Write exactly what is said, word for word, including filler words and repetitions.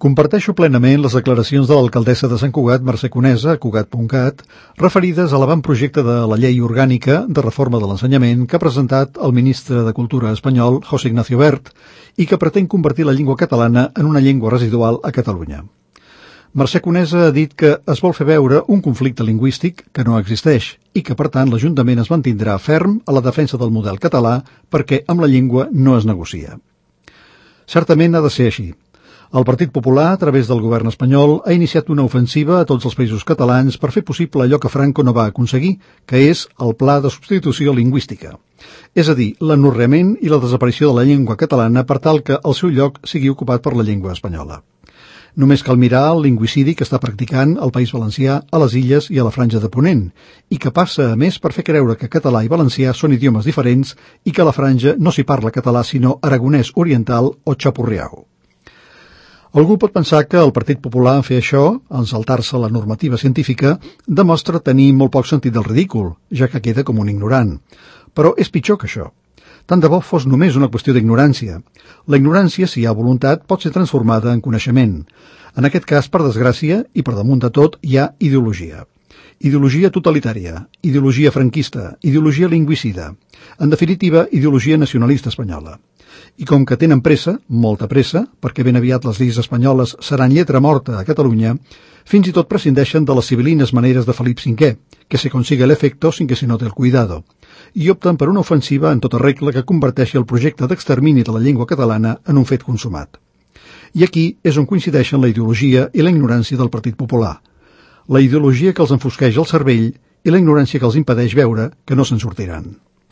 Comparteixo plenament les declaracions de l'alcaldessa de Sant Cugat, Mercè Conesa, a Cugat punt cat, referides a l'avantprojecte de la llei orgànica de reforma de l'ensenyament que ha presentat el ministre de Cultura espanyol, José Ignacio Wert, i que pretén convertir la llengua catalana en una llengua residual a Catalunya. Mercè Conesa ha dit que es vol fer veure un conflicte lingüístic que no existeix i que, per tant, l'Ajuntament es mantindrà ferm a la defensa del model català perquè amb la llengua no es negocia. Certament ha de ser així. El Partit Popular, a través del govern espanyol, ha iniciat una ofensiva a tots els països catalans per fer possible allò que Franco no va aconseguir, que és el pla de substitució lingüística. És a dir, l'anorreament i la desaparició de la llengua catalana per tal que el seu lloc sigui ocupat per la llengua espanyola. Només cal mirar el lingüicidi que està practicant el País Valencià a les Illes i a la Franja de Ponent, i que passa, a més, per fer creure que català i valencià són idiomes diferents i que a la Franja no s'hi parla català sinó aragonès oriental o xapurriau. Algú pot pensar que el Partit Popular en fer això, en saltar-se la normativa científica, demostra tenir molt poc sentit del ridícul, ja que queda com un ignorant. Però és pitjor que això. Tant de bo fos només una qüestió d'ignorància. La ignorància, si hi ha voluntat, pot ser transformada en coneixement. En aquest cas, per desgràcia, i per damunt de tot, hi ha ideologia. Ideologia totalitària, ideologia franquista, ideologia lingüicida. En definitiva, ideologia nacionalista espanyola. I com que tenen pressa, molta pressa, perquè ben aviat les lleis espanyoles seran lletra morta a Catalunya, fins i tot prescindeixen de les civilines maneres de Felip cinquè, que se consiga el efecto sin que se note el cuidado, i opten per una ofensiva en tota regla que converteixi el projecte d'extermini de la llengua catalana en un fet consumat. I aquí és on coincideixen la ideologia i la ignorància del Partit Popular. La ideologia que els enfosqueix el cervell i la ignorància que els impedeix veure que no se'n sortiran.